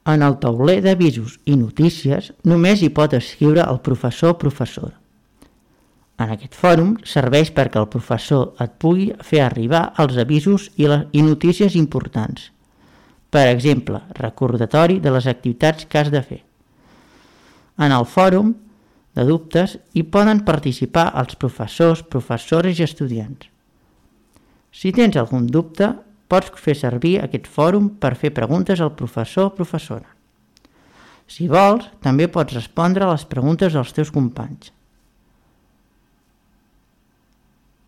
En el tauler d'avisos i notícies només hi pot escriure el professor o professora. En aquest fòrum serveix perquè el professor et pugui fer arribar els avisos i notícies importants. Per exemple, recordatori de les activitats que has de fer. En el fòrum de dubtes hi poden participar els professors, professores i estudiants. Si tens algun dubte, pots fer servir aquest fòrum per fer preguntes al professor o professora. Si vols, també pots respondre a les preguntes dels teus companys.